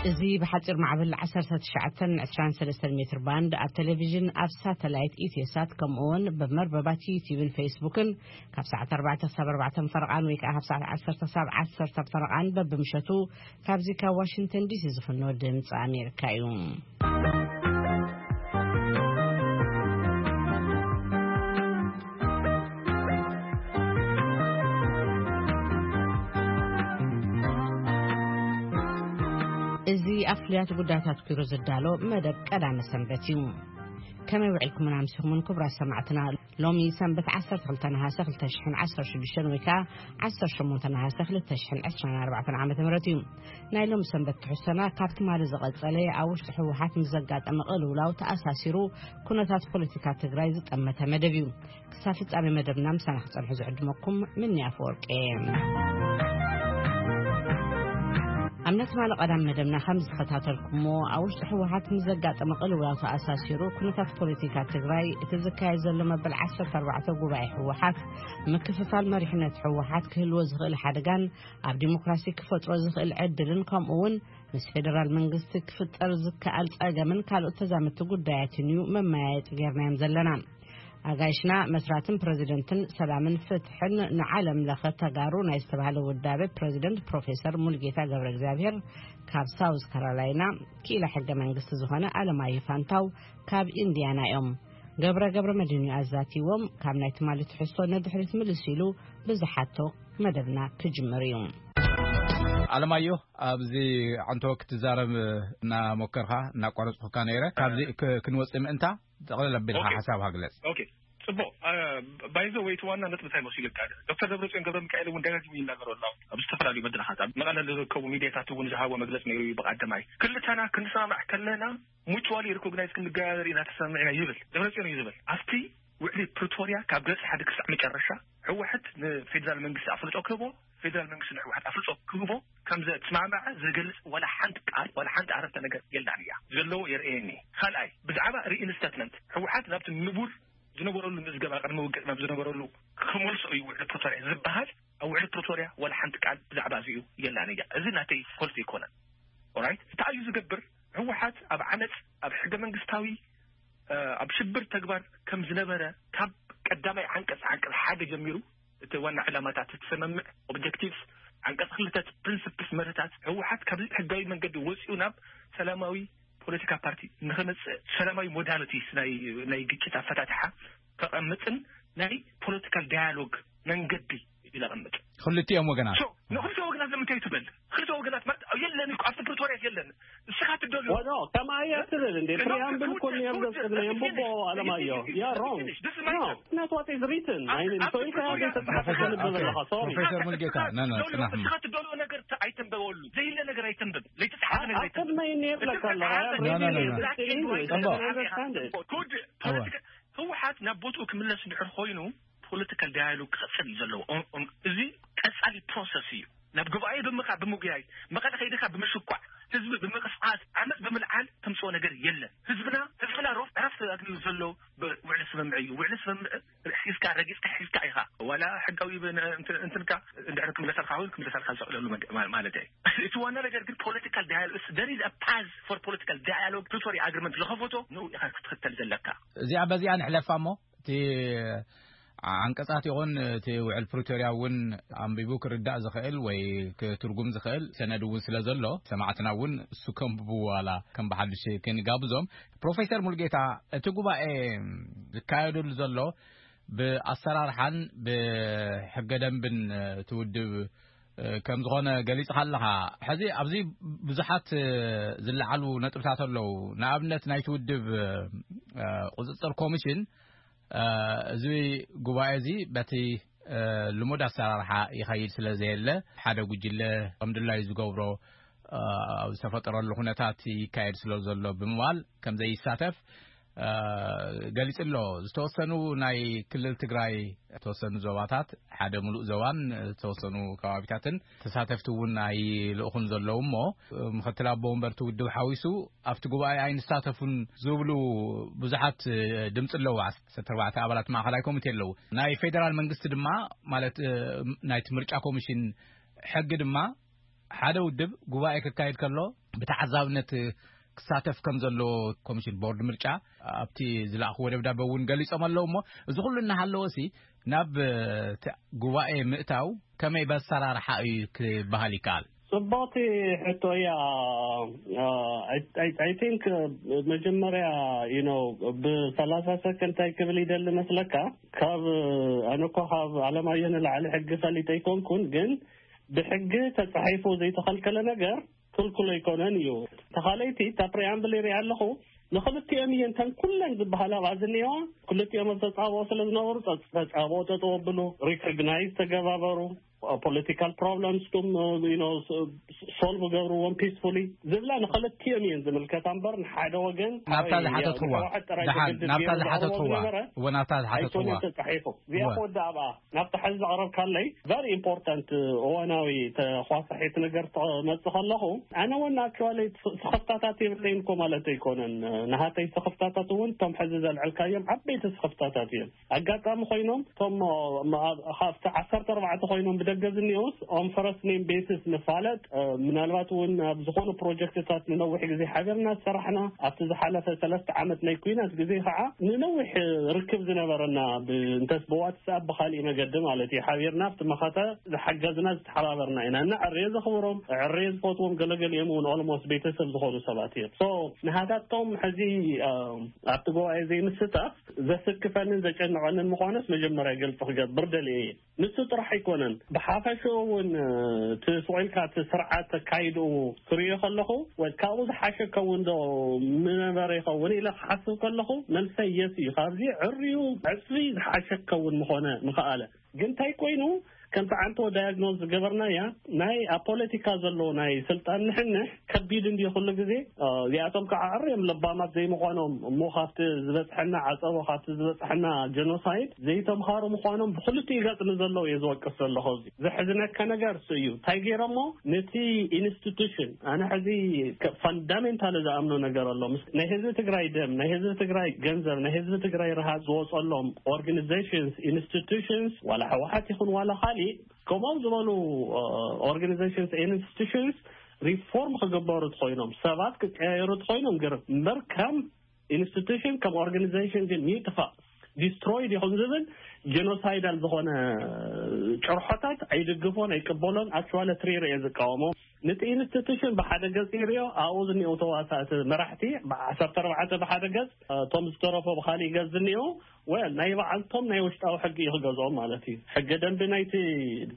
እዚ ብሓጺር ማዕበል ዓሰርተ ትሽዓተ ዕስራን ሰለስተን ሜትር ባንድ ኣብ ቴሌቪዥን፣ ኣብ ሳተላይት ኢትዮሳት፣ ከምኡ እውን ብመርበባት ዩቲዩብን ፌስቡክን ካብ ሰዓት ኣርባዕተ ክሳብ ኣርባዕተ ፈረቓን ወይ ከዓ ካብ ሰዓት ዓሰርተ ክሳብ ዓሰርተ ፈረቓን በብምሸቱ ካብዚ ካብ ዋሽንግተን ዲሲ ዝፍኖ ድምፂ ኣሜሪካ እዩ። እዚ ኣብ ፍሉያት ጉዳያት ኣትኲሩ ዝዳሎ መደብ ቀዳመ ሰንበት እዩ። ከመይ ውዒልኩምን ኣምሲኹምን ክቡራት ሰማዕትና? ሎሚ ሰንበት ዓሰርተ ክልተ ነሃሰ ክልተ ሽሕን ዓሰርተ ሽዱሽተን ወይ ከዓ ዓሰርተ ሸሞንተ ነሃሰ ክልተ ሽሕን ዕስራን ኣርባዕተን ዓመተ ምህረት እዩ። ናይ ሎሚ ሰንበት ትሕዝቶና ካብ ትማሊ ዝቐጸለ ኣብ ውሽጢ ህወሓት ምስ ዘጋጠመ ቅልውላው ተኣሳሲሩ ኩነታት ፖለቲካ ትግራይ ዝጠመተ መደብ እዩ። ክሳብ ፍጻሜ መደብና ምሳና ክጸንሑ ዝዕድመኩም ምኒ ኣፈወርቂ እየ። ኣብ ናይ ትማሊ ቀዳም መደብና ከም ዝተኸታተልኩሞ፣ ኣብ ውሽጢ ህወሓት ምስ ዘጋጠመ ቅልውላው ተኣሳሲሩ ኩነታት ፖለቲካ ትግራይ፣ እቲ ዝካየድ ዘሎ መበል ዓሰርተ ኣርባዕተ ጉባኤ ህወሓት፣ ምክፍፋል መሪሕነት ህወሓት ክህልዎ ዝኽእል ሓደጋን ኣብ ዲሞክራሲ ክፈጥሮ ዝኽእል ዕድልን፣ ከምኡ እውን ምስ ፌደራል መንግስቲ ክፍጠር ዝከኣል ጸገምን ካልኦት ተዛመድቲ ጉዳያትን እዩ መመያየጢ ጌርናዮም ዘለና። ኣጋይሽና መስራትን ፕረዚደንትን ሰላምን ፍትሕን ንዓለም ለኸ ተጋሩ ናይ ዝተባህለ ውዳቤ ፕረዚደንት ፕሮፌሰር ሙልጌታ ገብረ እግዚኣብሔር ካብ ሳውዝ ካሮላይና፣ ክኢላ ሕገ መንግስቲ ዝኾነ ኣለማየሁ ፋንታው ካብ ኢንዲያና እዮም። ገብረ ገብረ መድህን እዩ ኣዛቲዎም። ካብ ናይ ትማሊ ትሕዝቶ ንድሕሪት ምልስ ኢሉ ብዝሓቶ መደብና ክጅምር እዩ። ኣለማየሁ፣ ኣብዚ ዓንቶ ክትዛረብ እናሞከርካ እናቋረጽኩካ ነይረ። ካብዚ ክ-፣ ክንወጽእ ምእንታ ጠቕለል ኣቢልካ ሓሳብካ ግለጽ። ኦኬ፣ ጽቡቕ። እ፣ ባይዘ ወይ እቲ ዋና ነጥቢ እንታይ መሲሉ ይካል? ዶክተር ደብረጽዮን ገብረ ሚካኤል እውን ደጋጊሙ ይናገሮ ኣሎ። ኣብ ዝተፈላለዩ መድረኻት፣ ኣብ መቐለ ዝርከቡ ሚዲያታት እውን ዝሃቦ መግለጽ ነይሩ እዩ። ብቐዳማይ ክልተና ክንሰማማዕ ከለና ሙቹዋሊ ሪኮግናይዝ ክንገባበር ኢና ተሰማሚዕና ይብል ደብረጽዮን እዩ ዝብል። ኣብቲ ውዕሊ ፕሪቶርያ ካብ ገጽ ሓደ ክሳዕ መጨረሻ ህወሓት ንፌዴራል መንግስቲ ኣፍልጦ ክህቦ፣ ፌዴራል መንግስቲ ንህወሓት ኣፍልጦ ክህቦ ከም ዘተስማማዐ ዝገልጽ ዋላ ሓንቲ ቃል፣ ዋላ ሓንቲ ኣረፍተ ነገር የላን እያ። ዘለዎ የርእየኒ። ካልኣይ፣ ብዛዕባ ሪኢንስታትመንት ህወሓት ናብቲ ንቡር ዝነበረሉ ምዝገባ ቅድሚ ውግእ ናብ ዝነበረሉ ክመልሶ እዩ ውዕሊ ፕሪቶርያ ዝበሃል። ኣብ ውዕሊ ፕሪቶርያ ዋላ ሓንቲ ቃል ብዛዕባ እዚኡ የላን እያ። እዚ ናተይ ፎልት ኣይኮነን። ኦራይት፣ እንታይ እዩ ዝገብር? ህወሓት ኣብ ዓመፅ፣ ኣብ ሕገ መንግስታዊ፣ እ፣ ኣብ ሽብር ተግባር ከም ዝነበረ ካብ ቀዳማይ ዓንቀፅ፣ ዓንቀፅ ሓደ ጀሚሩ፣ እቲ ዋና ዕላማታት፣ እቲ ሰመምዕ ኦብጀክቲቭስ፣ ዓንቀፅ ክልተ ፕሪንስፕልስ፣ መርህታት፣ ህወሓት ካብ ህጋዊ መንገዲ ወፂኡ ናብ ሰላማዊ ፖለቲካ ፓርቲ ንኸመፅእ ሰላማዊ ሞዳሊቲስ ናይ፣ ናይ ግጭት ኣፈታትሓ ከቐምፅን ናይ ፖለቲካል ዳያሎግ መንገዲ እዩ ዘቐምጥ። ክልቲኦም ወገናት። ሶ፣ ንክልተ ወገናት ንምንታይ ትበል? ክልተ ወገናት ማለት የለን እኮ፣ ኣብቲ ፕሪቶርያ የለን። ንስኻ ትደልዮ ወኖ፣ ከምኣ እያ ትብል እንዴ? ፕሪያምብል እኮ እኒኦም ዘጽግነ የንብቦ ኣለማዮ። You are wrong. No, it's not what is written. I mean, so if I have this ፕሮፌሰር ሙልጌታ፣ ና፣ ና፣ ጽናሕ። ንስኻ ትደልዮ ነገር ተ-፣ ኣይተንበበሉ። ዘይለ ነገር ኣይተንበብ። ዘይተጻሓፈ ነገር ኣይተንበብ። ኣከብ ናይ እኔር ለካ ኣለኻ፣ ያ፣ No, no, no, no. English, I don't understand it። ጉድ ፖለቲካ፣ ህወሓት ናብ ቦትኡ ክምለስ እንድሕር ኮይኑ፣ ፖለቲካል ዳያሎግ ክቐጽል እዩ ዘለዎ። ኦም-፣ ኦም-፣ እዚ ቀጻሊ ፕሮሰስ እዩ። ናብ ጉባኤ ብምኻ-፣ ብምጉያይ፣ መቐለ ከይድኻ ብምሽኳዕ፣ ህዝቢ ብምቕስቃስ፣ ዓመፅ ብምልዓል ተምፅኦ ነገር የለን። ህዝብና፣ ህዝብና ሮፍ-፣ ዕረፍቲ ኣግንዩ ዘሎ ብ-፣ ውዕሊ ስምምዕ እዩ። ውዕሊ ስምምዕ ሒዝካ፣ ረጊፅካ ሒዝካ ኢኻ። ዋላ ሕጋዊ ብ-፣ ን-፣ እንትን-፣ እንትንካ እንድሕር ክምለሰልካ እውን ክምለሰልካ ዝኽእለሉ መግ-፣ ማ-፣ ማለት እየ። እቲ ዋና ነገር ግን ፖለቲካል ዳያሎግ፣ there is a path for political dialogue። ፕሪቶሪያ ኣግሪመንት ዝኸፈቶ ንኡ ኢኻ ክትኽተል ዘለካ። እዚኣ በዚኣ ንሕለፋ እሞ፣ እቲ ዓንቀጻት ይኹን እቲ ውዕል ፕሪቶርያ እውን ኣንቢቡ ክርዳእ ዝኽእል ወይ ክትርጉም ዝኽእል ሰነድ እውን ስለ ዘሎ፣ ሰማዕትና እውን እሱ ከንብቡ ዋላ ከም ብሓድሽ ክንጋብዞም። ፕሮፌሰር ሙልጌታ፣ እቲ ጉባኤ ዝካየደሉ ዘሎ ብኣሰራርሓን ብሕገ ደንብን እቲ ውድብ ከም ዝኾነ ገሊጽካ ኣለኻ። ሕዚ ኣብዚ ብዙሓት ዝለዓሉ ነጥብታት ኣለዉ። ንኣብነት ናይቲ ውድብ ቁጽጽር ኮሚሽን፣ እ፣ እዚ ጉባኤ እዚ በቲ፣ እ፣ ልሙድ ኣሰራርሓ ይኸይድ ስለ ዘየለ፣ ሓደ ጉጅለ ከም ድላዩ ዝገብሮ፣ እ፣ ኣብ ዝተፈጠረሉ ኩነታት ይካየድ ስለ ዘሎ ብምባል ከም ዘይሳተፍ፣ እ፣ ገሊጹ ኣሎ። ዝተወሰኑ ናይ ክልል ትግራይ፣ ዝተወሰኑ ዞባታት፣ ሓደ ምሉእ ዞባን ዝተወሰኑ ከባቢታትን ተሳተፍቲ እውን ኣይልእኹን ዘለዉ እሞ፣ ምክትል ኣቦ ወንበርቲ ውድብ ሓዊሱ ኣብቲ ጉባኤ ኣይንሳተፉን ዝብሉ ብዙሓት ድምፂ ኣለዉ። ዓሰርተ ኣርባዕተ ኣባላት ማእኸላይ ኮሚቴ ኣለዉ። ናይ ፌደራል መንግስቲ ድማ፣ ማለት፣ እ፣ ናይቲ ምርጫ ኮሚሽን ሕጊ ድማ፣ ሓደ ውድብ ጉባኤ ክካየድ ከሎ ተዓዛብነት ክሳተፍ ከም ዘለዎ ኮሚሽን ቦርድ ምርጫ ኣብቲ ዝለኣኽዎ ደብዳበ እውን ገሊጾም ኣለዉ። እሞ እዚ ኩሉ እናሃለወሲ ናብ እቲ ጉባኤ ምእታው ከመይ በሰራርሓ እዩ ክበሃል ይከኣል? ጽቡቕቲ ሕቶ እያ። I think መጀመርያ you know ብሰላሳ ሰከንድ እንታይ ክብል ይደሊ መስለካ? ካብ ኣነ እኮ ካብ ኣለማየሁ ንላዕሊ ሕጊ ፈሊጠ ኣይኮንኩን፣ ግን ብሕጊ ተጻሒፉ ዘይተኸልከለ ነገር ክልክሎ ኣይኮነን እዩ። ተኻለይቲ እታ ፕሪኣምብል ይሪኣ ኣለኹ፣ ንኽልቲኦም እየን እተን ኩለን ዝበሃላ ኣብኣ ዝኒኤዋ። ክልቲኦም ኣብ ተጻብኦ ስለ ዝነበሩ ጸ- ተጻብኦ ጠጠው ኣብሉ፣ ሪኮግናይዝ ተገባበሩ፣ ፖለቲካል ፕሮብለምስኩም ሶልቭ ገብርዎም ፒስፉሊ ዝብላ ንኽልቲኦም እየን ዝምልከታ እምበር ንሓደ ወገን ናብታ ዝሓተትዋ፣ ንህወሓት ጥራይ ደሓን፣ ዘገድድ ናብታ ገይሩ ዝሓተትዋ፣ ዝነበረ እወ፣ ናብታ ዝሓተትዋ። ኣይኮነን ተጻሒፉ። እዚኣ እወ። ክወዳእ ኣብኣ ናብቲ ሕዚ ዘቕረብካለይ ቨሪ ኢምፖርታንት እዋናዊ ተኳሳሒት ነገር ትመጽእ ከለኹ፣ ኣነ እውን ኣክቹዋሊ ስኽፍታታት የብለይን እኮ ማለት ኣይኮነን። ንሃተይ ስኽፍታታት እውን እቶም ሕዚ ዘልዕልካዮም ዓበይቲ ስኽፍታታት እዮም። ኣጋጣሚ ኮይኖም እቶም ኣብ- ካብቲ ዓሰርተ ኣርባዕተ ኮይኖም ብደገ ዝኒኦስ ኦን ፈረስት ኔም ቤሲስ ንፋለጥ፣ ምናልባት እውን ኣብ ዝኾኑ ፕሮጀክትታት ንነዊሕ ግዜ ሓቢርና ዝሰራሕና ኣብቲ ዝሓለፈ ሰለስተ ዓመት ናይ ኩናት ግዜ ከዓ ንነዊሕ ርክብ ዝነበረና ብ- እንተስ ብዋትስኣፕ ብካሊእ መገዲ ማለት እዩ ሓቢርና ኣብቲ መኸተ ዝሓገዝና ዝተሓባበርና ኢና። እና ዕሬ ዘኽብሮም፣ ዕሬ ዝፈትዎም፣ ገለገሊኦም እውን ኦልሞስት ቤተሰብ ዝኾኑ ሰባት እዮም። ሶ ንሃታቶም ሕዚ ኣብቲ ጉባኤ ዘይምስታፍ ዘስክፈንን ዘጨንቐንን ምዃኑስ መጀመርያ ግልፂ ክገብር ደልየ እየ። ንሱ ጥራሕ ኣይኮነን፣ ብሓፈሽኡ እውን እቲ ስቑኢልካ እቲ ስርዓት ኣካይድኡ ክርእዮ ከለኹ፣ ወይ ካብኡ ዝሓሸ ከውን ዶ ምነበረ ይኸውን ኢለ ክሓስብ ከለኹ፣ መልሰይ የስ እዩ። ካብዚ ዕርዩ ዕፅፊ ዝሓሸ ከውን ምኾነ ምኸኣለ። ግን እንታይ ኮይኑ፣ ከምቲ ዓንቶ ዳያግኖዝ ዝገበርናያ ናይ ኣብ ፖለቲካ ዘሎ ናይ ስልጣን ንሕንሕ ከቢድ እንዲ ኩሉ ግዜ። እዚኣቶም ከዓ ዕርዮም ለባማት ዘይምዃኖም እሞ ካብቲ ዝበፅሐና ዓፀቦ፣ ካብቲ ዝበፅሐና ጀኖሳይድ ዘይተምሃሩ ምዃኖም ብክልቲኡ ገፅ ንዘለዉ እየ ዝወቅስ ዘለኹ። እዚ ዘሕዝነካ ነገር እሱ እዩ። እንታይ ገይሮሞ? ነቲ ኢንስቲቱሽን፣ ኣነ ሕዚ ፈንዳሜንታል ዝኣምኖ ነገር ኣሎ። ናይ ህዝቢ ትግራይ ደም፣ ናይ ህዝቢ ትግራይ ገንዘብ፣ ናይ ህዝቢ ትግራይ ረሃፅ ዝወፀሎም ኦርጋኒዜሽንስ፣ ኢንስቲቱሽንስ፣ ዋላ ህወሓት ይኹን ዋላ ካሊእ ከምኦም ዝበሉ ኦርጋኒዜሽንስ፣ ኢንስቲቱሽንስ ሪፎርም ክግበሩ ትኮይኖም፣ ሰባት ክቀያየሩ ትኮይኖም ግርም እምበር ከም ኢንስቲቱሽን ከም ኦርጋኒዜሽን ግን ይጥፋእ፣ ዲስትሮይድ ይኹን ዝብል ጀኖሳይዳል ዝኾነ ጭርሖታት ኣይድግፎን ኣይቅበሎን። ኣክቹዋሊ ትሪር እየ ዝቃወሞ። ነቲ ኢንስቲቱሽን ብሓደ ገፅ ይሪኦ፣ ኣብኡ ዝኒኦ ተዋሳእቲ መራሕቲ ብዓሰርተ ኣርባዕተ ብሓደ ገፅ፣ እቶም ዝተረፎ ብካሊእ ገፅ ዝኒኦ ወል ናይ በዓልቶም ናይ ውሽጣዊ ሕጊ እዩ ክገዝኦም ማለት እዩ። ሕገ ደንቢ ናይቲ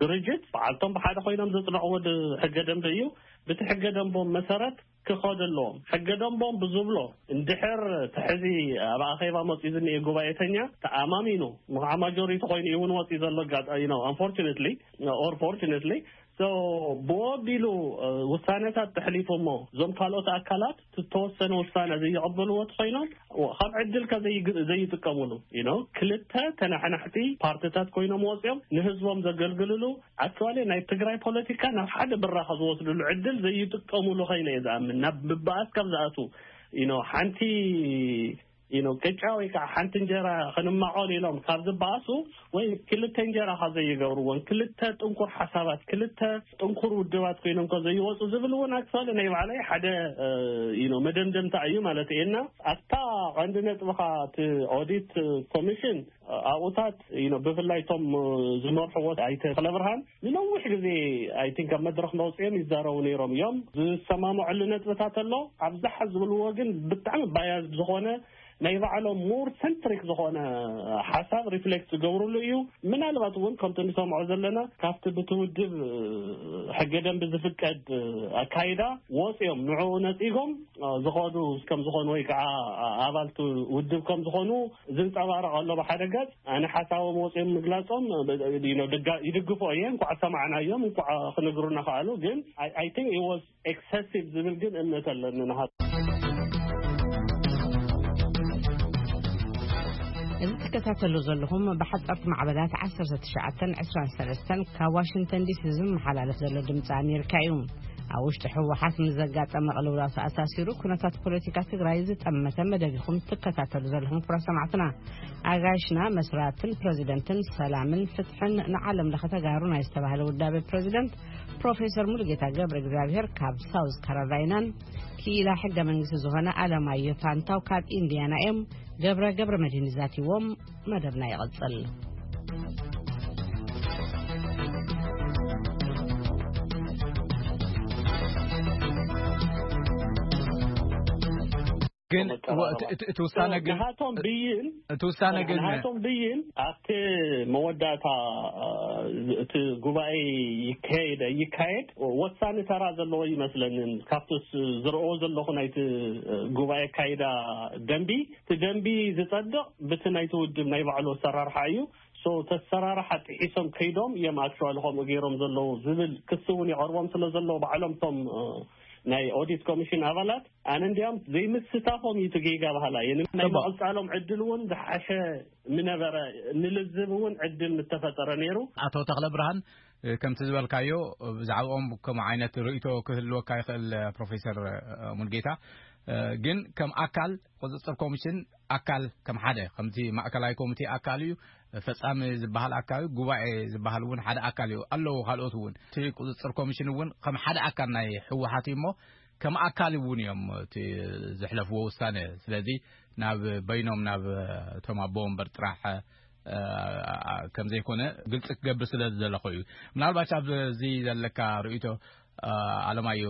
ድርጅት በዓልቶም ብሓደ ኮይኖም ዘፅንዕዎ ድ- ሕገ ደንቢ እዩ። ብቲ ሕገ ደንቦም መሰረት ክኸዱ ኣለዎም። ሕገ ደንቦም ብዝብሎ እንድሕር እቲ ሕዚ ኣብ ኣኼባ መፅኡ ዝኒኤ ጉባኤተኛ ተኣማሚኑ፣ ምኽዓ ማጆሪቲ ኮይኑ እዩ እውን ወፂኡ ዘሎ ኣጋጣሚ ነው። Unfortunately or fortunately, so ብወቢሉ ውሳነታት ተሕሊፉ እሞ እዞም ካልኦት ኣካላት ዝተወሰነ ውሳነ ዘይቕበልዎ ተኮይኖም ካብ ዕድል ከ ዘይግ- ዘይጥቀሙሉ you know ክልተ ተናሓናሕቲ ፓርቲታት ኮይኖም ወፂኦም ንህዝቦም ዘገልግልሉ ኣክቹዋሊ ናይ ትግራይ ፖለቲካ ናብ ሓደ ብራኸ ዝወስድሉ ዕድል ዘይጥቀሙሉ ኮይነ እየ ዝኣምን። ናብ ምባኣስ ካብ ዝኣቱ you know ሓንቲ you know ቅጫ ወይ ከዓ ሓንቲ እንጀራ ክንማቐል ኢሎም ካብ ዝበኣሱ ወይ ክልተ እንጀራ ካብ ዘይገብርዎን ክልተ ጥንኩር ሓሳባት ክልተ ጥንኩር ውድባት ኮይኖም ከ ዘይወፁ ዝብል እውን ኣክቹዋሊ ናይ ባዕለይ ሓደ you know መደምደምታ እዩ ማለት እየ። እና ኣብታ ቀንዲ ነጥብኻ እቲ ኦዲት ኮሚሽን ኣብኡታት you know ብፍላይ እቶም ዝመርሕዎ ኣይተ ተኽለብርሃን ንነዊሕ ግዜ I think ኣብ መድረኽ መውፅኦም ይዛረቡ ነይሮም እዮም። ዝሰማምዕሉ ነጥብታት ኣሎ። ኣብዛሓ ዝብልዎ ግን ብጣዕሚ ባያስድ ዝኾነ ናይ ባዕሎም ሞር ሰንትሪክ ዝኾነ ሓሳብ ሪፍሌክት ዝገብርሉ እዩ። ምናልባት እውን ከምቲ ንሰምዖ ዘለና ካብቲ ብቲ ውድብ ሕገ ደንቢ ዝፍቀድ ኣካይዳ ወፂኦም ንዕኡ ነፂጎም ዝኸዱ ከም ዝኾኑ ወይ ከዓ ኣባልቲ ውድብ ከም ዝኾኑ ዝንፀባረቕ ኣሎ። ብሓደ ገፅ ኣነ ሓሳቦም ወፂኦም ምግላፆም you know ድጋ- ይድግፎ እየ። እንኳዕ ሰማዕናዮም፣ እንኳዕ ክነግሩና ከኣሉ። ግን I think it was excessive ዝብል ግን እምነት ኣለኒ ንሃ እዚ ትከታተሉ ዘለኹም ብሓጻርቲ ማዕበላት ዓሰርተ ትሽዓተን ዕስራን ሰለስተን ካብ ዋሽንግተን ዲሲ ዝመሓላለፍ ዘሎ ድምፂ ኣሜሪካ እዩ። ኣብ ውሽጢ ህወሓት ምስ ዘጋጠመ ቅልውላው ተኣሳሲሩ ኩነታት ፖለቲካ ትግራይ ዝጠመተ መደብ ኢኹም ትከታተሉ ዘለኹም ክቡራት ሰማዕትና። ኣጋይሽና መስራትን ፕረዚደንትን ሰላምን ፍትሕን ንዓለም ለኸ ተጋሩ ናይ ዝተባህለ ውዳበ ፕረዚደንት ፕሮፌሰር ሙሉጌታ ገብረ እግዚኣብሔር ካብ ሳውዝ ካሮላይናን ክኢላ ሕገ መንግስቲ ዝኾነ ኣለማየሁ ፋንታው ካብ ኢንዲያና እዮም ገብረ ገብረ መድህን ዛቲዎም። መደብና ይቐጽል። ግን እቲ ውሳነ ግን ናቶም ብይን እቲ ውሳነ ግን ናቶም ብይን ኣብቲ መወዳእታ እቲ ጉባኤ ይካየድ ይካየድ ወሳኒ ተራ ዘለዎ ይመስለንን። ካብቲ ዝረኦ ዘለኹ ናይቲ ጉባኤ ካይዳ ደንቢ እቲ ደንቢ ዝጸድቕ ብቲ ናይቲ ውድብ ናይ ባዕሉ ኣሰራርሓ እዩ። ሶ ተሰራርሓ ጥሒሶም ከይዶም እዮም ኣክቹዋሊ ከምኡ ገይሮም ዘለዉ ዝብል ክሲ እውን ይቐርቦም ስለ ዘለዉ ባዕሎም ቶም ናይ ኦዲት ኮሚሽን ኣባላት ኣነ እንዲያም ዘይምስታፎም እዩ ትጌጋ ባህላ እየ። ናይ ምቕጻሎም ዕድል እውን ዝሓሸ ምነበረ ንልዝብ እውን ዕድል ምተፈጠረ ነይሩ። ኣቶ ተኽለ ብርሃን ከምቲ ዝበልካዮ ብዛዕባኦም ከም ዓይነት ርእይቶ ክህልወካ ይኽእል። ፕሮፌሰር ሙልጌታ ግን ከም ኣካል ቁፅፅር ኮሚሽን ኣካል ከም ሓደ ከምቲ ማእከላይ ኮሚቴ ኣካል እዩ። ፈጻሚ ዝበሃል ኣካል እዩ። ጉባኤ ዝበሃል እውን ሓደ ኣካል እዩ። ኣለዉ ካልኦት እውን እቲ ቁፅፅር ኮሚሽን እውን ከም ሓደ ኣካል ናይ ህወሓት እዩ እሞ ከም ኣካል እውን እዮም እቲ ዘሕለፍዎ ውሳነ። ስለዚ ናብ በይኖም ናብ እቶም ኣቦ ወንበር ጥራሕ ከም ዘይኮነ ግልፂ ክገብር ስለ ዝደለኹ እዩ። ምናልባት ኣብዚ ዘለካ ርእይቶ ኣለማዮ።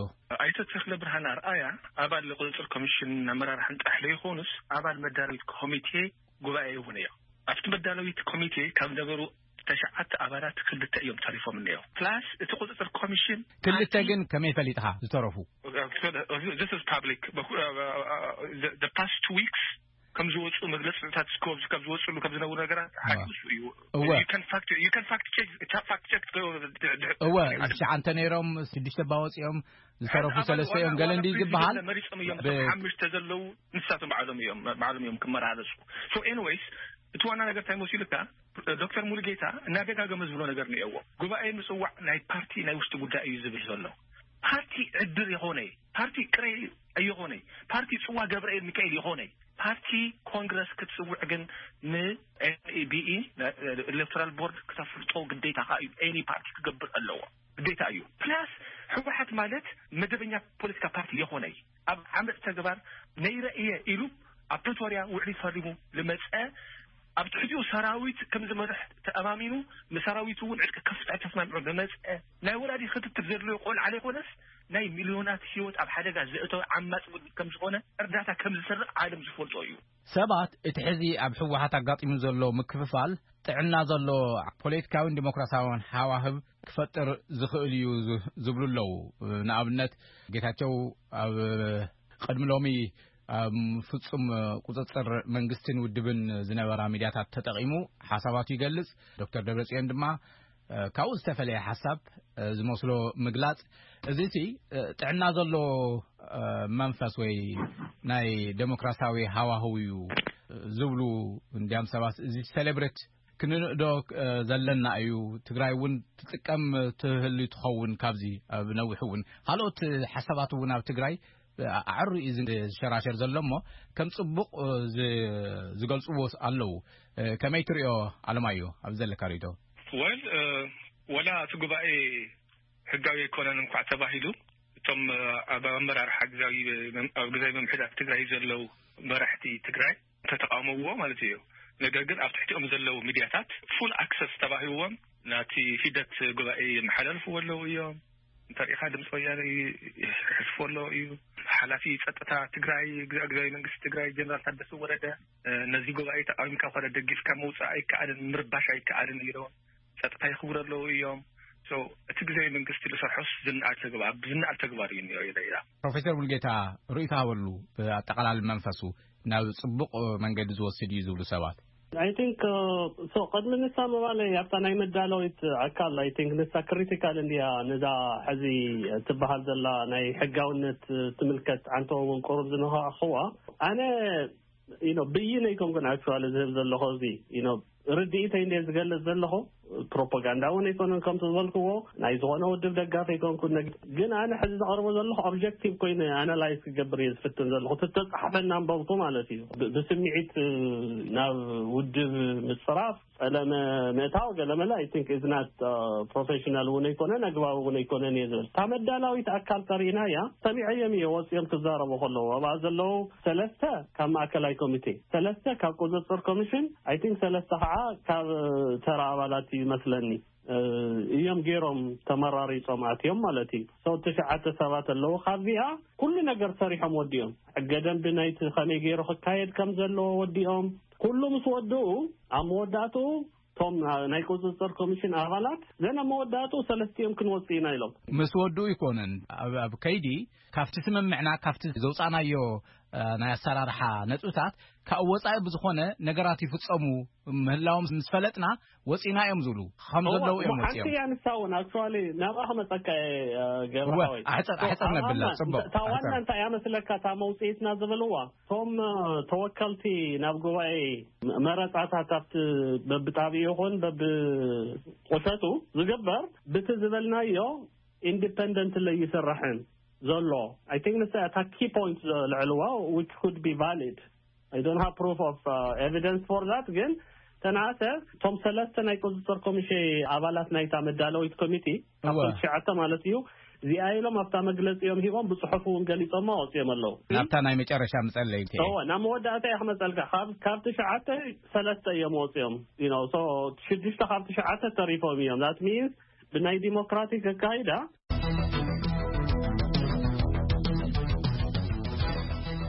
ኣይተ ተኽለ ብርሃን ኣርኣያ ኣባል ቁፅፅር ኮሚሽን ኣመራርሓን ጥራሕ ዘይኮኑስ ኣባል መዳለዊት ኮሚቴ ጉባኤ እውን እዮም። ኣብቲ መዳለዊት ኮሚቴ ካብ ነበሩ ተሽዓተ ኣባላት ክልተ እዮም ተሪፎም እኒኦ ፕላስ እቲ ቁፅፅር ኮሚሽን ክልተ ግን ከመይ ፈሊጥኻ ዝተረፉ? ፓብሊክ ፓስት ዊክስ ከም ዝወፁ መግለፅታት ስኮብስ ከም ዝወፅሉ ከም ዝነብሩ ነገራት ሓዲሱ እዩ። እወ ፋክት ቸክ እወ ትሽዓንተ ነይሮም ሽዱሽተ ባወፂኦም ዝተረፉ ሰለስተ እዮም ገለ እንዲ ዝበሃል መሪፆም እዮም። ሓሙሽተ ዘለዉ ንሳቶም ባዕሎም እዮም ባዕሎም እዮም ክመራረፁ። ሶ ኤኒዌይስ እቲ ዋና ነገር እንታይ መሲሉካ ዶክተር ሙሉጌታ እናደጋገመ ዝብሎ ነገር እኒኦዎ። ጉባኤ ምፅዋዕ ናይ ፓርቲ ናይ ውሽጢ ጉዳይ እዩ ዝብል ዘሎ። ፓርቲ ዕድር የኾነ ፓርቲ ቅረ የኾነ ፓርቲ ፅዋ ገብርኤል ሚካኤል የኾነ ፓርቲ ኮንግረስ ክትፅውዕ ግን ንኤንኢቢኢ ኤሌክቶራል ቦርድ ክተፍልጦ ግዴታኻ እዩ። ኤኒ ፓርቲ ክገብር ኣለዎ ግዴታ እዩ። ፕላስ ህወሓት ማለት መደበኛ ፖለቲካ ፓርቲ የኾነ ኣብ ዓመፅ ተግባር ነይረ እየ ኢሉ ኣብ ፕሪቶርያ ውዕሊ ፈሪሙ ልመፀ ኣብ ትሕቲኡ ሰራዊት ከም ዝመርሕ ተኣማሚኑ ንሰራዊቱ እውን ዕጥቂ ከፍፅሕ ተስማሚዑ ዝመፀ ናይ ወላዲ ክትትል ዘድልዮ ቆልዓ ዘይኮነስ ናይ ሚልዮናት ህይወት ኣብ ሓደጋ ዘእተወ ዓማፂ ውድብ ከም ዝኾነ እርዳታ ከም ዝሰርቕ ዓለም ዝፈልጦ እዩ። ሰባት እቲ ሕዚ ኣብ ህወሓት ኣጋጢሙ ዘሎ ምክፍፋል ጥዕና ዘሎ ፖለቲካዊን ዲሞክራሲያውን ሃዋህብ ክፈጥር ዝኽእል እዩ ዝብሉ ኣለዉ። ንኣብነት ጌታቸው ኣብ ቅድሚ ሎሚ ኣብ ፍጹም ቁጽጽር መንግስትን ውድብን ዝነበራ ሚድያታት ተጠቒሙ ሓሳባቱ ይገልጽ። ዶክተር ደብረጽዮን ድማ ካብኡ ዝተፈለየ ሓሳብ ዝመስሎ ምግላጽ፣ እዚ እቲ ጥዕና ዘሎ መንፈስ ወይ ናይ ዴሞክራሲያዊ ሃዋህው እዩ ዝብሉ እንዲያም ሰባት፣ እዚ ሴሌብሬት ክንንእዶ ዘለና እዩ። ትግራይ እውን ትጥቀም ትህሉ ትኸውን። ካብዚ ኣብ ነዊሕ እውን ካልኦት ሓሳባት እውን ኣብ ትግራይ ኣዕሩ እዩ ዝሸራሸር ዘሎ እሞ ከም ፅቡቕ ዝገልፅዎ ኣለዉ። ከመይ ትሪኦ ኣለማዮ ኣብዚ ዘለካ ርእቶ? ወል ወላ እቲ ጉባኤ ሕጋዊ ኣይኮነን እንኳዕ ተባሂሉ እቶም ኣብ ኣመራርሓ ግዛዊ ኣብ ግዛዊ ምምሕዳር ትግራይ ዘለዉ መራሕቲ ትግራይ ተተቃውመዎ ማለት እዩ። ነገር ግን ኣብ ትሕቲኦም ዘለዉ ሚድያታት ፉል ኣክሰስ ተባሂዎም ናቲ ሂደት ጉባኤ የመሓላልፍዎ ኣለዉ እዮም። እንተሪኢኻ ድምፂ ወያነ ይሕልፎ ኣሎ እዩ። ሓላፊ ፀጥታ ትግራይ ግዛዊ መንግስቲ ትግራይ ጀነራል ታደሰ ወረደ ነዚ ጉባኤ ተቃዊምካ ኮነ ደጊፍካ ምውፃእ ኣይከኣልን ምርባሽ ኣይከኣልን ኢሎም ፀጥታ ይኽብሩ ኣለዉ እዮም። እቲ ግዜ መንግስቲ ዝሰርሖስ ዝነኣድ ተግባር ብዝነኣድ ተግባር እዩ እኒኦ ኢለ ኢላ። ፕሮፌሰር ሙልጌታ ርእይቶ ሃበሉ ኣጠቓላሊ መንፈሱ ናብ ፅቡቕ መንገዲ ዝወስድ እዩ ዝብሉ ሰባት። I think so ቅድሚ ንሳ ምባለይ ኣብታ ናይ መዳለዊት ኣካል I think ንሳ ክሪቲካል እንድያ ነዛ ሕዚ ትበሃል ዘላ ናይ ሕጋውነት ትምልከት ዓንተዎ እውን ቁሩብ ዝነኻእኽዋ ኣነ you know ብይነይ ኮንኩን actually ዝህብ ዘለኹ እዚ you know ርድኢተይ እንደ ዝገልጽ ዘለኹ፣ ፕሮፓጋንዳ እውን ኣይኮነን። ከምቲ ዝበልክዎ፣ ናይ ዝኾነ ውድብ ደጋፊ ኣይኮንኩን። ነግ- ግን ኣነ ሕዚ ዘቕርቦ ዘለኹ ኦብጀክቲቭ ኮይኑ ኣናላይዝ ክገብር እየ ዝፍትን ዘለኹ። እቲ ተጻሕፈ እናንበብኩ ማለት እዩ። ብ- ብስምዒት ናብ ውድብ ምጽራፍ፣ ጸለመ ምእታው ገለመለ፣ I think is not professional እውን ኣይኮነን፣ ኣግባብ እውን ኣይኮነን እየ ዝብል። እታ መዳላዊት ኣካል ተሪእናያ፣ ሰሚዐዮም እየ ወፂኦም ክዛረቡ ከለዉ። ኣብኣ ዘለዉ ሰለስተ ካብ ማእከላይ ኮሚቴ፣ ሰለስተ ካብ ቁፅፅር ኮሚሽን፣ I think ሰለስተ ከዓ ካብ ተራ ኣባላት እዩ መስለኒ እዮም ገይሮም ተመራሪፆም ኣትዮም ማለት እዩ። ሰው ትሽዓተ ሰባት ኣለዉ። ካብዚኣ ኩሉ ነገር ሰሪሖም ወዲኦም። ሕገ ደንቢ ናይቲ ከመይ ገይሩ ክካየድ ከም ዘለዎ ወዲኦም። ኩሉ ምስ ወድኡ፣ ኣብ መወዳእትኡ እቶም ናይ ቁፅፅር ኮሚሽን ኣባላት፣ ዘን ኣብ መወዳእትኡ ሰለስቲኦም ክንወፅእ ኢና ኢሎም። ምስ ወድኡ ኣይኮነን፣ ኣብ ኣብ ከይዲ ካብቲ ስምምዕና፣ ካብቲ ዘውፃእናዮ ናይ ኣሰራርሓ ነጥብታት ካብኡ ወፃኢ ብዝኾነ ነገራት ይፍፀሙ ምህላዎም ምስ ፈለጥና ወፂና እዮም ዝብሉ ከም ዘለዉ እዮም ወፂኦም። ሓንቲ እያ ንሳ እውን ኣክቹዋሊ ናብኣ ክመፀካ እየ። ገብረሃወይ ኣሕፀር ኣሕፀር ነብላ። ፅቡቅ። እታ ዋና እንታይ እያ መስለካ? እታ መውፅኢትና ዝብልዋ፣ እቶም ተወከልቲ ናብ ጉባኤ መረፃታት ኣብቲ በብጣቢኡ ይኹን በብቁሸቱ ዝግበር ብቲ ዝበልናዮ ኢንዲፐንደንት ለይስራሕን ዘሎ። I think ንሳ እታ ኪ ፖይንት ዘልዕልዋ፣ which could be valid. I don't have proof of evidence for that። ግን ተናሰ እቶም ሰለስተ ናይ ቁፅፅር ኮሚቴ ኣባላት ናይታ መዳለዊት ኮሚቴ ካብቶም ትሽዓተ ማለት እዩ፣ እዚኣ ኢሎም ኣብታ መግለፂኦም ሂቦም፣ ብፅሑፍ እውን ገሊፆማ ወፂኦም ኣለዉ። ናብታ ናይ መጨረሻ ምፀለይ እንተ እወ፣ ናብ መወዳእታ እየ ክመፀልካ። ካብ ካብ ትሽዓተ ሰለስተ እዮም ወፂኦም። You know, so ሽዱሽተ ካብ ትሽዓተ ተሪፎም እዮም። That means ብናይ ዲሞክራቲክ ኣካይዳ።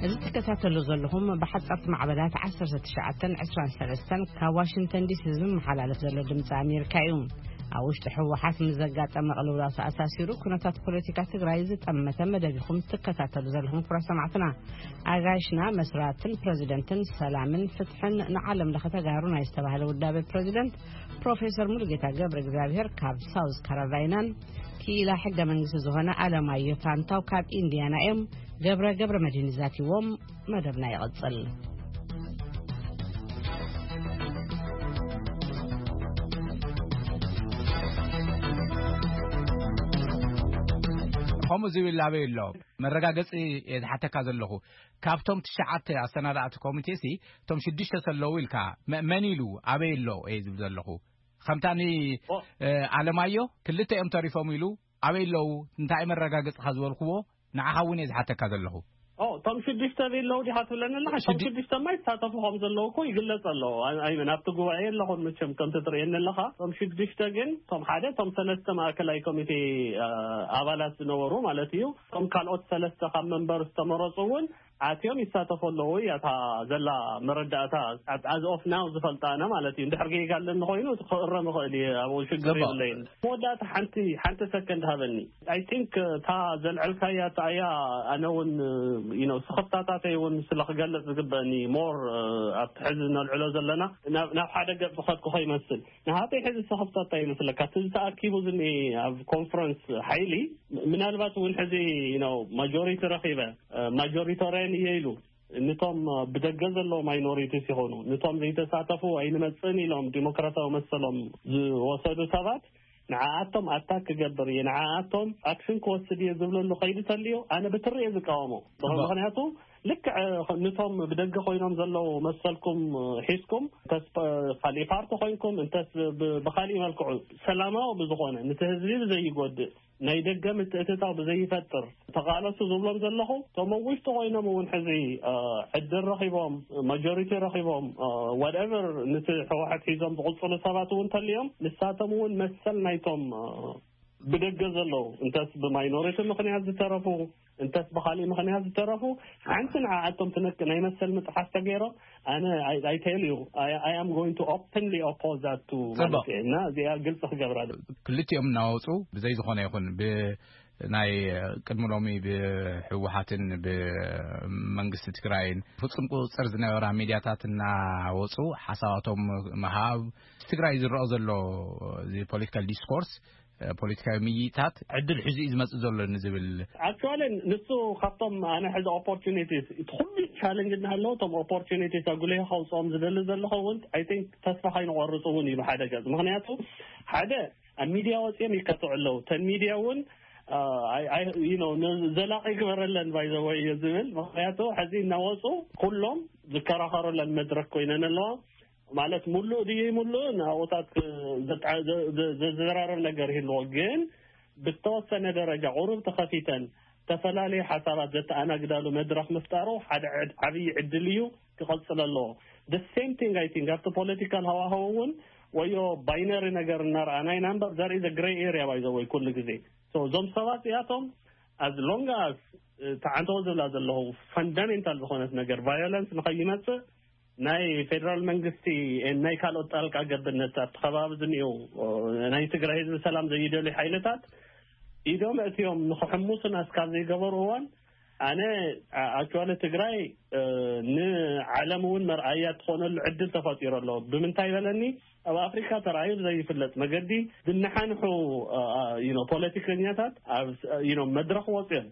እዚ ትከታተሉ ዘለኹም ብሓጻርቲ ማዕበላት ዓሰርተ ትሽዓተን ዕስራን ሰለስተን ካብ ዋሽንግተን ዲሲ ዝመሓላለፍ ዘሎ ድምፂ ኣሜሪካ እዩ። ኣብ ውሽጢ ህወሓት ምስ ዘጋጠመ ቅልውላው ተኣሳሲሩ ኩነታት ፖለቲካ ትግራይ ዝጠመተ መደብ ኢኹም ትከታተሉ ዘለኹም ክቡራት ሰማዕትና። ኣጋይሽና መስራትን ፕረዚደንትን ሰላምን ፍትሕን ንዓለም ለኸ ተጋሩ ናይ ዝተባህለ ውዳበ ፕረዚደንት ፕሮፌሰር ሙሉጌታ ገብረ እግዚኣብሔር ካብ ሳውዝ ካሮላይናን ክኢላ ሕገ መንግስቲ ዝኾነ ኣለማዮ ፋንታው ካብ ኢንዲያና እዮም። ገብረ ገብረ መድህን ዛቲዎም። መደብና ይቕጽል። ከምኡ ዝብል ኣበይ ኣሎ? መረጋገጺ እየ ዝሓተካ ዘለኹ። ካብቶም ትሽዓተ ኣሰናዳእቲ ኮሚቴ ሲ እቶም ሽዱሽተ ሰለዉ ኢልካ፣ መ- መን ኢሉ ኣበይ ኣሎ እየ ዝብል ዘለኹ። ከምታ ኒ ኦ። እ፣ ኣለማዮ ክልተ እዮም ተሪፎም ኢሉ ኣበይ ኣለዉ፣ እንታይ መረጋገጽኻ ዝበልክዎ ንዓኻ እውን እየ ዝሓተካ ዘለኹ። ኦ፣ እቶም ሽዱሽተ ኣለዉ ዲኻ ትብለኒ ኣለኻ? እቶም ሽዱ- ሽዱሽተ ማ ይሳተፉ ከም ዘለዉ እኮ ይግለጽ ኣሎ። ኣይ- ኣይመን ኣብቲ ጉባኤ ኣለኹም መቸም ከምቲ ትርእየኒ ኣለኻ። እቶም ሽዱሽተ ግን፣ እቶም ሓደ፣ እቶም ሰለስተ ማእከላይ ኮሚቴ እ፣ ኣባላት ዝነበሩ ማለት እዩ። እቶም ካልኦት ሰለስተ ካብ መንበር ዝተመረጹ እውን ኣትዮም ይሳተፉ ኣለዉ። እያ እታ ዘላ መረዳእታ፣ ኣብ- as of now ዝፈልጣ ኣነ ማለት እዩ። እንድሕር ጌጋ ኣለኒ ኮይኑ ክእረም ይኽእል እየ፣ ኣብኡ ሽግር ጽቡቕ። የብለይን። መወዳእታ ሓንቲ ሓንቲ ሰከንድ ሃበኒ። I think እታ ዘልዐልካያ እታ እያ። ኣነ እውን you know ስኽፍታታተይ እውን ስለ ክገልጽ ዝግበእኒ ሞር ኣብቲ ሕዚ ነልዕሎ ዘለና ናብ ናብ ሓደ ገጽ ዝኸድኩ ከይመስል። ንሃተይ ሕዚ ስኽፍታታ ይመስለካ እቲ ዝተኣኪቡ ዝኒ ኣብ ኮንፈረንስ ሓይሊ ምናልባት እውን ሕዚ you know ማጆሪቲ ረኺበ ማጆሪቶሪያን እየ ኢሉ፣ ንቶም ብደገ ዘለዉ ማይኖሪቲስ ይኾኑ፣ ንቶም ዘይተሳተፉ ኣይንመጽእን ኢሎም ዲሞክራሲያዊ መሰሎም ዝወሰዱ ሰባት፣ ንዓኣቶም ኣታክ ክገብር እየ፣ ንዓኣቶም ኣክሽን ክወስድ እየ ዝብለሉ ከይዲ ተልዩ ኣነ ብትሪ እየ ዝቃወሞ። ጽቡቕ። ምኽንያቱ ልክዕ ንቶም ብደገ ኮይኖም ዘለዉ መሰልኩም ሒዝኩም ተስፋ ካሊእ ፓርቲ ኮይንኩም እንተስ ብ- ብካሊእ መልክዑ ሰላማዊ ብዝኾነ ንቲ ህዝቢ ብዘይጎድእ ናይ ደገ ምትእትታው ብዘይፈጥር ተቓለሱ ዝብሎም ዘለኹ፣ እቶም ኣብ ውሽጢ ኮይኖም እውን ሕዚ እ፣ ዕድል ረኺቦም ማጆሪቲ ረኺቦም ዋትኤቨር ንቲ ህወሓት ሒዞም ዝቕፅሉ ሰባት እውን ተልዮም ንሳቶም እውን መሰል ናይቶም እ፣ ብደገ ዘለዉ እንተስ ብማይኖሪቲ ምኽንያት ዝተረፉ እንተስ ብኻሊእ ምኽንያት ዝተረፉ ሓንቲ ንዓኣቶም ትነክ ናይ መሰል ምጥሓስ ተገይሮም ኣነ I tell you I am going to openly oppose that to ጽቡቕ። ማለት እየ እና እዚኣ ግልፂ ክገብራ ዶ ክልቲኦም እናወፁ ብዘይ ዝኾነ ይኹን ብ ናይ ቅድሚ ሎሚ ብህወሓትን ብመንግስቲ ትግራይን ፍጹም ቁፅፅር ዝነበራ ሚድያታት እናወፁ ሓሳባቶም ምሃብ ትግራይ ዝረኦ ዘሎ እዚ ፖለቲካል ዲስኮርስ ፖለቲካዊ ምይይጣት ዕድል ሒዙ እዩ ዝመጽእ ዘሎ ንዝብል። ኣክቹዋሊ ንሱ ካብቶም ኣነ ሕዚ ኦፖርቹኒቲስ እቲ ኩሉ ቻለንጅ እናሃለዎ እቶም ኦፖርቹኒቲስ ኣጉሊሁ ከውፅኦም ዝደሊ ዘለኹ እውን ኣይ ቲንክ ተስፋ ከይንቆርፅ እውን እዩ ብሓደ ገፅ። ምክንያቱ ሓደ ኣብ ሚድያ ወፂኦም ይከትዑ ኣለዉ። ተን ሚድያ እውን ዘላቂ ግበረለን ባይዘወይ እየ ዝብል። ምክንያቱ ሕዚ እናወፁ ኩሎም ዝከራኸሩለን መድረክ ኮይነን ኣለዋ። ማለት ሙሉእ ድዩ ሙሉእ ንኣቦታት ዘዝራረብ ነገር ይህልዎ፣ ግን ብተወሰነ ደረጃ ቁሩብ ተኸፊተን ዝተፈላለዩ ሓሳባት ዘተኣናግዳሉ መድረኽ ምፍጣሩ ሓደ ዓብዪ ዕድል እዩ፣ ክቐፅል ኣለዎ። ሴም ቲንግ ኣይ ቲንክ ኣብቲ ፖለቲካል ሃዋህው እውን ወዮ ባይነሪ ነገር እናረኣና ኢና እምበር ዘርኢ ዘ ግሬ ኤሪያ ባይዘወይ ኩሉ ግዜ እዞም ሰባት እዚኣቶም ኣዝ ሎንግ ኣስ ተዓንተዎ ዝብላ ዘለኹ ፈንዳሜንታል ዝኾነት ነገር ቫዮለንስ ንኸይመፅእ ናይ ፌደራል መንግስቲ ናይ ካልኦት ጣልቃ ገብነት ኣብቲ ከባቢ ዝኒኡ ናይ ትግራይ ህዝቢ ሰላም ዘይደልዩ ሓይልታት ኢዶም እትዮም ንክሕሙሱና እስካብ ዘይገበሩ እዋን ኣነ ኣክቹዋሊ ትግራይ ንዓለም እውን መርኣያ ትኾነሉ ዕድል ተፈጢሩ ኣሎ። ብምንታይ በለኒ ኣብ ኣፍሪካ ተራእዩ ዘይፍለጥ መገዲ ዝነሓንሑ ፖለቲከኛታት ኣብ መድረክ ወፅዮም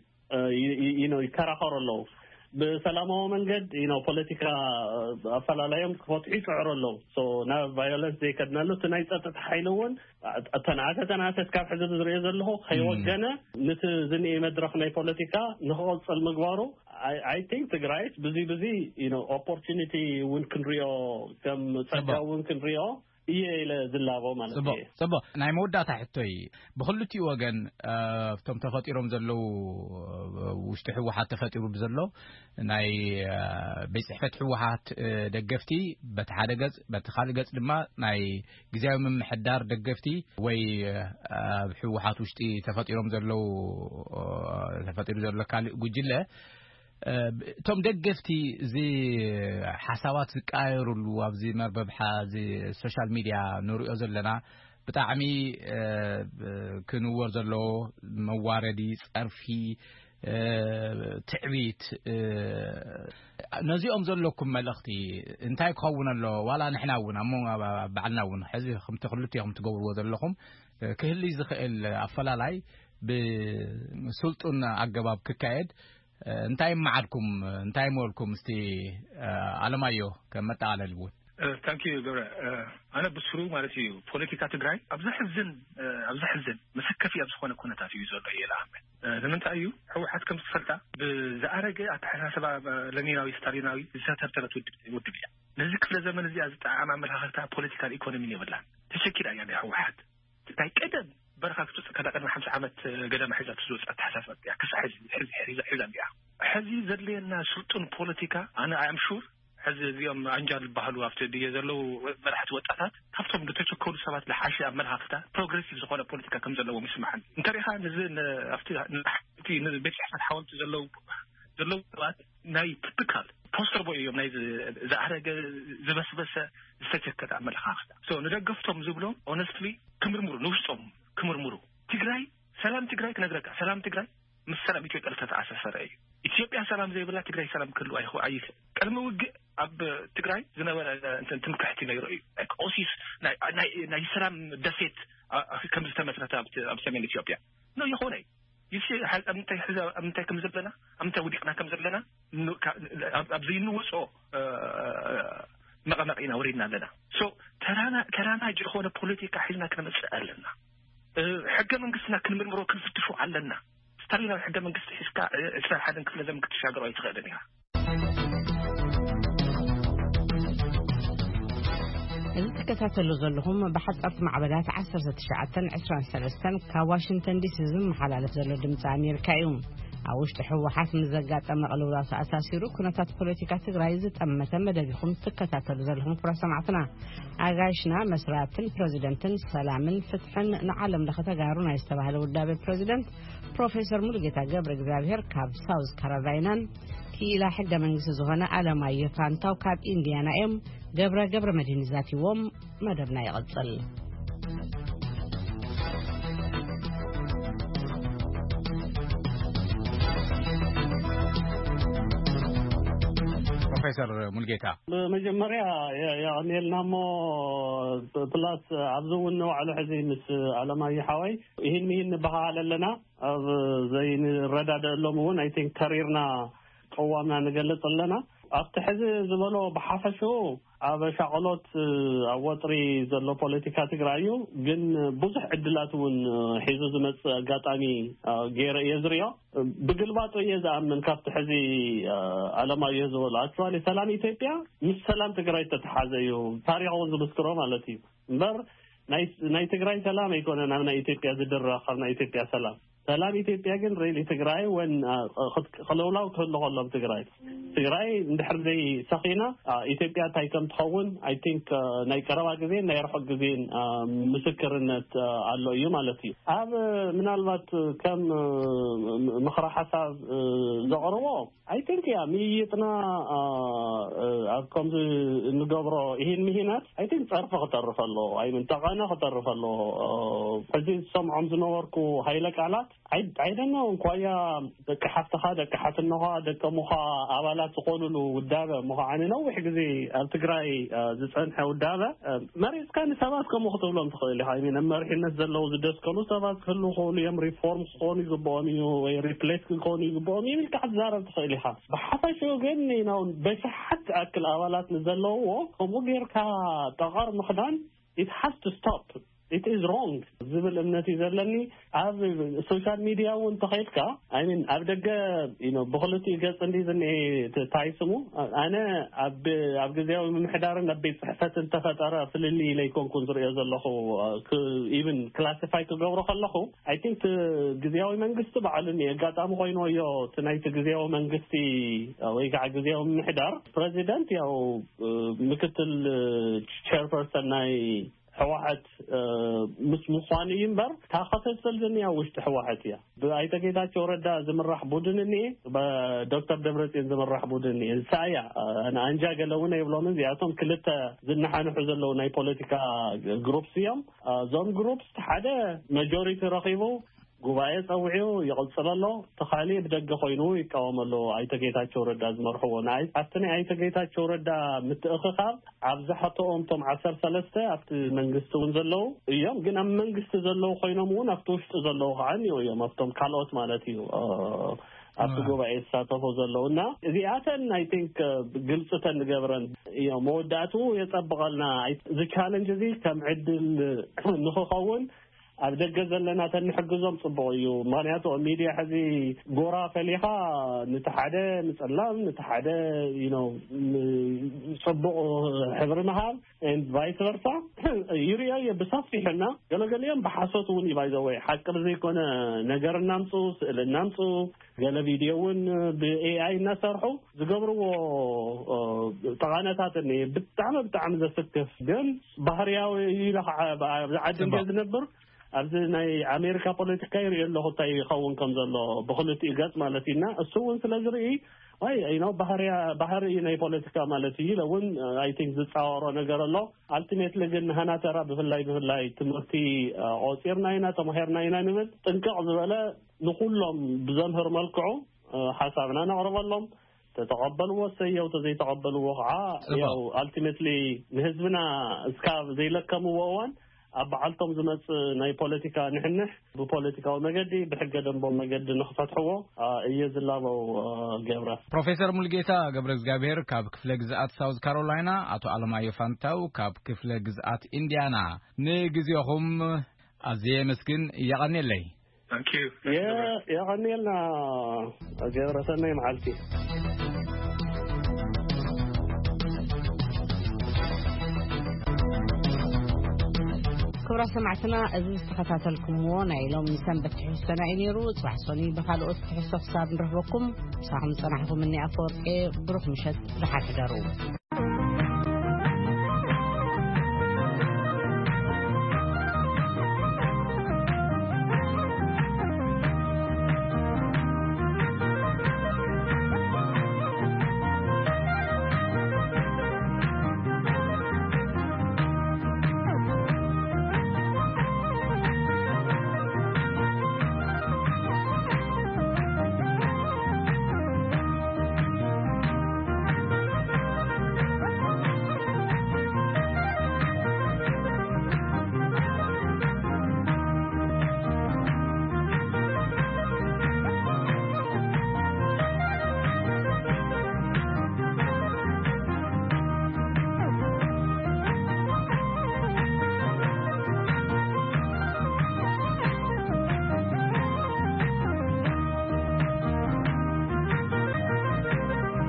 ይከራኸሩ ኣለዉ። ብሰላማዊ መንገድ ፖለቲካ ኣፈላላዮም ክፈትሑ ይፅዕሩ ኣለዉ። ናብ ቫዮለንስ ዘይከድናሉ እቲ ናይ ፀጥታ ሓይሊ እውን ተናእሰ ተናእሰ እስካብ ሕዚ ዝሪኦ ዘለኹ ከይወገነ ንቲ ዝኒኤ መድረክ ናይ ፖለቲካ ንክቐፅል ምግባሩ ኣይ ቲንክ ትግራይስ ብዙ ብዙ ኦፖርቹኒቲ እውን ክንሪኦ ከም ፀጋ እውን ክንሪኦ እየ ኢለ ዝላቦ ማለት እዩ። ፅቡቅ ናይ መወዳእታ ሕቶይ ብክልቲኡ ወገን እቶም ተፈጢሮም ዘለዉ ውሽጢ ህወሓት ተፈጢሩ ብዘሎ ናይ ቤት ፅሕፈት ህወሓት ደገፍቲ በቲ ሓደ ገፅ በቲ ካልእ ገፅ ድማ ናይ ግዜያዊ ምምሕዳር ደገፍቲ ወይ ኣብ ህወሓት ውሽጢ ተፈጢሮም ዘለዉ ተፈጢሩ ዘሎ ካልእ ጉጅለ እቶም ደገፍቲ እዚ ሓሳባት ዝቀያየሩሉ ኣብዚ መርበብ እዚ ሶሻል ሚድያ ንሪኦ ዘለና ብጣዕሚ ክንወር ዘለዎ መዋረዲ፣ ፀርፊ፣ ትዕቢት ነዚኦም ዘለኩም መልእኽቲ እንታይ ክኸውን ኣለዎ? ዋላ ንሕና እውን ኣብ ባዕልና እውን ሕዚ ከምቲ ክልቲኹም ትገብርዎ ዘለኹም ክህሊ ዝኽእል ኣፈላላይ ብስልጡን ኣገባብ ክካየድ እንታይ መዓድኩም እንታይ መልኩም እስቲ ኣለማዮ ከም መጠቓለሊ እውን ታንኪዩ ገብረ። ኣነ ብስሩ ማለት እዩ ፖለቲካ ትግራይ ኣብ ዘሕዝን ኣብ ዘሕዝን መሰከፊ ኣብ ዝኾነ ኩነታት እዩ ዘሎ እየ ልኣምን። ንምንታይ እዩ ህወሓት ከም ዝፈልጣ ብዝኣረገ ኣተሓሳስባ ለኒናዊ ስታሊናዊ ዝተተብተበት ውድብ እያ። ነዚ ክፍለ ዘመን እዚኣ ዝጠዓም ኣመለኻኽታ ፖለቲካን ኢኮኖሚን የብላን። ተሸኪላ እያ ናይ ህወሓት ናይ ቀደም በረኻ ክትወፅእ ከላ ቅድሚ ሓምሳ ዓመት ገደማ ሒዛቶ ዝወፅእ ኣተሓሳስባ እያ። ክሳዕ ሕዚ ሒዛ እያ። ሕዚ ዘድልየና ስልጡን ፖለቲካ ኣነ ኣም ሹር ሕዚ እዚኦም ኣንጃል ዝበሃሉ ኣብቲ ድየ ዘለዉ መራሕቲ ወጣታት ካብቶም ዝተቸከሉ ሰባት ዝሓሸ ኣመለኻኽታ ፕሮግረሲቭ ዝኾነ ፖለቲካ ከም ዘለዎም ይስማዓኒ። እንተሪኢኻ ንዚ ኣብቲ ቤት ፅሕፈት ሓወልቲ ዘለዉ ዘለዉ ሰባት ናይ ቲፒካል ፖስተር ቦይ እዮም ናይ ዝኣረገ ዝበስበሰ ዝተቸከለ ኣመለኻኽታ። ንደገፍቶም ዝብሎም ኦነስትሊ ክምርምሩ ንውሽጦም ክምርምሩ። ትግራይ ሰላም ትግራይ ክነግረካ ሰላም ትግራይ ምስ ሰላም ኢትዮጵያ ዝተተኣሳሰረ እዩ። ኢትዮጵያ ሰላም ዘይብላ ትግራይ ሰላም ክህልው ኣይኽእል። ቅድሚ ውግእ ኣብ ትግራይ ዝነበረ ትምክሕቲ ነይሩ እዩ። ኦሲስ ናይ ሰላም ደሴት ከም ዝተመስረተ ኣብ ሰሜን ኢትዮጵያ ነው የኾነ። ይሲ ኣብ ምንታይ ከም ዘለና ኣብ ምንታይ ውዲቕና ከም ዘለና ኣብ ዘይንወፅኦ መቐመቂ ኢና ወሪድና ኣለና። ተራማጅ ዝኾነ ፖለቲካ ሒዝና ክነመፅእ ኣለና። ሕገ መንግስትና ክንምርምሮ ክንፍትሾ ኣለና። ስታሊናዊ ሕገ መንግስቲ ሒዝካ ዕስራን ሓደን ክፍለ ዘመን ክትሻገሮ ኣይትኽእልን ኢኻ። እዚ ትከታተሉ ዘለኹም ብሓጻርቲ ማዕበላት ዓሰርተ ትሽዓተን ዕስራን ሰለስተን ካብ ዋሽንግተን ዲሲ ዝመሓላለፍ ዘሎ ድምፂ ኣሜሪካ እዩ። ኣብ ውሽጢ ህወሓት ምስ ዘጋጠመ ቅልውላው ተኣሳሲሩ ኩነታት ፖለቲካ ትግራይ ዝጠመተ መደብ ኢኹም ትከታተሉ ዘለኹም ክቡራት ሰማዕትና። ኣጋይሽና መስራትን ፕረዚደንትን ሰላምን ፍትሕን ንዓለም ለኸ ተጋሩ ናይ ዝተባህለ ውዳቤ ፕረዚደንት ፕሮፌሰር ሙሉጌታ ገብረ እግዚኣብሔር ካብ ሳውዝ ካሮላይናን ክኢላ ሕገ መንግስቲ ዝኾነ ኣለማየሁ ፋንታው ካብ ኢንዲያና እዮም። ገብረ ገብረ መድህን ዛቲዎም መደብና ይቕጽል። ፕሮፌሰር ሙልጌታ? ብመጀመርያ የ- የቐንየልና እሞ፣ ፕላስ ኣብዚ እውን ንባዕሉ ሕዚ ምስ ኣለማየ ሓወይ ይህን ምሂን ንበሃሃል ኣለና። ኣብ ዘይንረዳደአሎም እውን፣ ኣይ ቲንክ፣ ተሪርና ቅዋምና ንገልጽ ኣለና። ኣብቲ ሕዚ ዝበሎ ብሓፈሽኡ ኣብ ሻቕሎት፣ ኣብ ወጥሪ ዘሎ ፖለቲካ ትግራይ እዩ። ግን ብዙሕ ዕድላት እውን ሒዙ ዝመጽእ ኣጋጣሚ ገይረ እየ ዝሪኦ። ብግልባጡ እየ ዝኣምን። ካብቲ ሕዚ ኣለማየሁ ዝበሎ፣ ኣክቹዋሊ ሰላም ኢትዮጵያ ምስ ሰላም ትግራይ ዝተተሓዘ እዩ፣ ታሪኽ እውን ዝምስክሮ ማለት እዩ። እምበር ናይ ናይ ትግራይ ሰላም ኣይኮነን ኣብ ናይ ኢትዮጵያ ዝድረ ካብ ናይ ኢትዮጵያ ሰላም። ሰላም ኢትዮጵያ ግን ሪሊ ትግራይ ወን ክለውላው ክህሉ ከሎም ትግራይ ትግራይ እንድሕር ዘይሰኺና፣ ኢትዮጵያ እንታይ ከም ትኸውን፣ ኣይ ቲንክ፣ ናይ ቀረባ ግዜን ናይ ርሑቕ ግዜን ምስክርነት ኣሎ እዩ ማለት እዩ። ኣብ ምናልባት ከም ምኽረ ሓሳብ ዘቕርቦ፣ ኣይ ቲንክ፣ ያ ምይይጥና ኣብ ከምዚ እንገብሮ ይህን ምሂናት፣ ኣይ ቲንክ፣ ጸርፊ ክተርፍ ኣለዎ። ኣይ ምን ጠቐነ ክተርፍ ኣለዎ። ሕዚ ዝሰምዖም ዝነበርኩ ሃይለ ቃላት፣ ኣይደነ እንኳያ ደቂ ሓፍትኻ፣ ደቂ ሓትኖኻ፣ ደቂ እሙኻ ኣባላት ዝኾኑሉ ውዳበ እሞ ከዓ ንነዊሕ ግዜ ኣብ ትግራይ ዝጸንሐ ውዳበ፣ መሪጽካ ንሰባት ከምኡ ክትብሎም ትኽእል ኢኻ። I mean፣ ኣብ መሪሕነት ዘለዉ ዝደስከሉ ሰባት ክህሉ ክኽእሉ እዮም። ሪፎርም ክኾኑ ይግብኦም እዩ ወይ ሪፕሌስ ክኾኑ ይግብኦም እዮም ኢልካ ክትዛረብ ትኽእል ኢኻ። ብሓፈሽኡ ግን፣ you know፣ በሽሓት ዝኣክል ኣባላት ንዘለውዎ ከምኡ ጌርካ ጠቐር ምኽዳን፣ it has to stop, it is wrong ዝብል እምነት እዩ ዘለኒ። ኣብ ሶሻል ሚድያ እውን ተኸይድካ፣ I mean፣ ኣብ ደገ፣ you know፣ ብክልቲኡ ገጽ እንዲ ዝኒኤ ት- ታይ ስሙ፣ ኣነ ኣብ ኣብ ግዜያዊ ምምሕዳርን ኣብ ቤት ጽሕፈትን ተፈጠረ ፍልልይ ኢለ ኣይኮንኩን ዝሪኦ ዘለኹ። ኢቭን ክላሲፋይ ክገብሮ ከለኹ፣ ኣይ ቲንክ፣ ግዜያዊ መንግስቲ ባዕሉ እኒ ኣጋጣሚ ኮይንዎ እዮ። እቲ ናይቲ ግዜያዊ መንግስቲ ወይ ከዓ ግዜያዊ ምምሕዳር ፕሬዚደንት ያው ምክትል ቸርፐርሰን ናይ ህወሓት ምስ ምዃኑ እዩ እምበር፣ እታ ክፍፍል ዝኒኣ ውሽጢ ህወሓት እያ። ብኣይተ ጌታቸው ረዳ ዝምራሕ ቡድን እኒኤ፣ ብዶክተር ደብረፅዮን ዝምራሕ ቡድን እኒኤ። እሳ እያ፣ ኣነ ኣንጃ ገለ እውን ኣይብሎምን። እዚኣቶም ክልተ ዝነሓንሑ ዘለዉ ናይ ፖለቲካ ግሩፕስ እዮም። እዞም ግሩፕስ ሓደ መጆሪቲ ረኺቡ ጉባኤ ጸዊዑ ይቕጽል ኣሎ። እቲ ካልእ ብደገ ኮይኑ ይቃወም ኣሎ። ኣይተ ጌታቸው ረዳ ዝመርሕዎ፣ ንኣይ- ኣብቲ ናይ ኣይተ ጌታቸው ረዳ ምትእኽኻብ ኣብዛሕትኦም እቶም ዓሰርተ ሰለስተ ኣብቲ መንግስቲ እውን ዘለዉ እዮም። ግን ኣብ መንግስቲ ዘለዉ ኮይኖም እውን ኣብቲ ውሽጢ ዘለዉ ከዓ እኒኦ እዮም፣ ኣብቶም ካልኦት ማለት እዩ። እ፣ ኣብቲ ኣዎ። ጉባኤ ዝሳተፉ ዘለዉ እና እዚኣተን፣ ኣይ ቲንክ፣ ግልፅተን ንገብረን እዮም። መወዳእትኡ የጸብቐልና። ኣይ- እዚ ቻለንጅ እዚ ከም ዕድል ንኽኸውን ኣብ ደገ ዘለና ተንሕግዞም ጽቡቕ እዩ። ምኽንያቱ ኣብ ሚድያ ሕዚ ጎራ ፈሊኻ፣ ነቲ ሓደ ንጸላም፣ ነቲ ሓደ፣ you know፣ ን- ጽቡቕ ሕብሪ ምሃብ፣ and vice versa፣ ይርእዮ እየ ብሰፊሕና። ገለገሊኦም ብሓሶት እውን እዩ፣ by the way፣ ሓቂ ብዘይኮነ ነገር እናምጹ፣ ስእሊ እናምጹ፣ ገለ ቪድዮ እውን ብ ኤ ኣይ እናሰርሑ ዝገብርዎ፣ እ፣ ጠቓነታት እኒ ብጣዕሚ፣ ብጣዕሚ ዘስክፍ፣ ግን ባህርያዊ እዩ ኢለ ከዓ፣ ኣብዚ ዓዲ ጽቡቕ። እንድየ ዝነብር፣ ኣብዚ ናይ ኣሜሪካ ፖለቲካ ይርኢ ኣለኹ እንታይ ይኸውን ከም ዘሎ ብክልቲኡ ገጽ ማለት እዩ። እና እሱ እውን ስለ ዝርኢ፣ ወይ፣ you know፣ ባህርያ-፣ ባህሪ እዩ ናይ ፖለቲካ ማለት እዩ ኢለ እውን፣ ኣይ ቲንክ፣ ዝጻወሮ ነገር ኣሎ። ኣልቲሜትሊ ግን ንሃና ተራ ብፍላይ፣ ብፍላይ ትምህርቲ፣ እ፣ ቆጺርና ኢና፣ ተማሂርና ኢና ንብል፣ ጥንቅቕ ዝበለ ንኹሎም ብዘምህር መልክዑ፣ እ፣ ሓሳብና ነቕርበሎም። ተተቐበልዎ እሰየው፣ ተዘይተቐበልዎ ከዓ ጽቡቕ። ያው ኣልቲሜትሊ ንህዝብና እስካብ ዘይለከምዎ እዋን ኣብ በዓልቶም ዝመጽእ ናይ ፖለቲካ ንሕንሕ ብፖለቲካዊ መገዲ፣ ብሕገ ደንቦም መገዲ ንኽፈትሕዎ፣ እ፣ እየ ዝላበው፣ እ፣ ገብረ። ፕሮፌሰር ሙልጌታ ገብረ እግዚኣብሔር ካብ ክፍለ ግዝኣት ሳውዝ ካሮላይና፣ ኣቶ ኣለማዮ ፋንታው ካብ ክፍለ ግዝኣት ኢንዲያና፣ ንግዜኹም ኣዝየ የመስግን። የቐንየለይ። Thank you. የ-፣ የቐንየልና ገብረ፣ ሰናይ መዓልቲ። ክቡራት ሰማዕትና፣ እዚ ዝተኸታተልኩምዎ ናይ ሎሚ ሰንበት ትሕዝቶና እዩ ነይሩ። ጽባሕ ሰኑይ ብኻልኦት ትሕዝቶ ክሳብ ንረኽበኩም፣ ምሳኹም ዝጸናሕኩም እኒ ኣፈወርቂ። ብሩኽ ምሸት፣ ደሓን ሕደሩ።